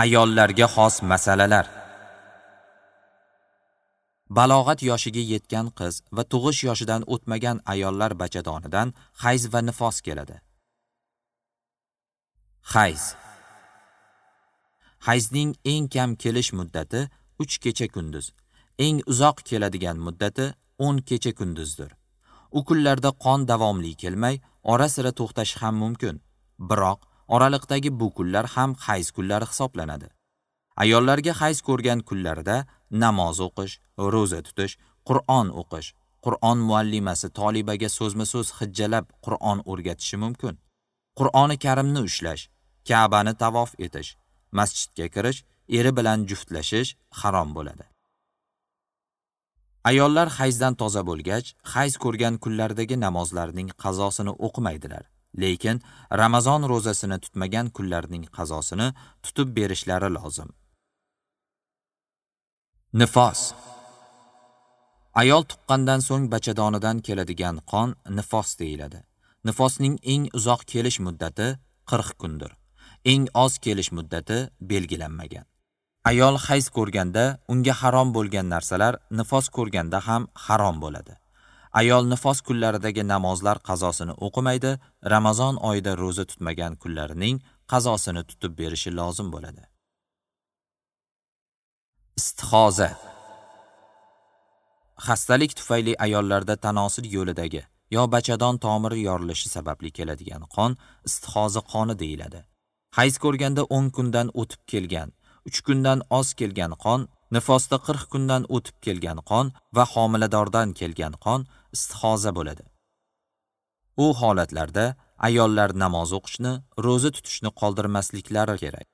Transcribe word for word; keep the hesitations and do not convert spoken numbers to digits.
Ayollarga xos masalalar. Balog'at yoshiga yetgan qiz va tug'ish yoshidan o'tmagan ayollar bachadonidan hayz va nifos keladi. Hayz. Hayzning eng kam kelish muddati uch kecha-kunduz, eng uzoq keladigan muddati o'n kecha-kunduzdir. U kunlarda qon davomli kelmay, ora-sira to'xtashi ham mumkin. Biroq oraliqdagi bu kunlar ham hayz kunlari hisoblanadi. Ayollarga hayz ko'rgan kunlarida namoz o'qish, ro'za tutish, Qur'on o'qish, Qur'on muallimasi tolibaga so'zma-so'z hijjalab Qur'on o'rgatishi mumkin. Qur'oni Karimni ushlash, Ka'bani tavof etish, masjidga kirish, eri bilan juftlashish harom bo'ladi. Ayollar hayzdan toza bo'lgach, hayz ko'rgan kunlardagi namozlarning qazosini o'qimaydilar. Lekin Ramazon ro'zasini tutmagan kunlarning qazosini tutib berishlari lozim. Nifos. Ayol tuqqandan so'ng bachadonidan keladigan qon nifos deyiladi. Nifosning eng uzoq kelish muddati qirq kundir. Eng oz kelish muddati belgilanmagan. Ayol hayz ko'rganda unga harom bo'lgan narsalar nifos ko'rganda ham harom bo'ladi. Ayol nifos kunlaridagi namozlar qazosini o'qimaydi, Ramazon oyida ro'za tutmagan kunlarining qazosini tutib berishi lozim bo'ladi. Istihoza. Xastalik tufayli ayollarda tanosil yo'lidagi yo bachadon tomiri yorilishi sababli keladigan qon istihoza qoni deyiladi. Hayz ko'rganda o'n kundan o'tib kelgan, uch kundan oz kelgan qon, nifosda qirq kundan o'tib kelgan qon va homiladordan kelgan qon istihoza bo'ladi. U holatlarda ayollar namoz o'qishni, ro'za tutishni qoldirmasliklari kerak.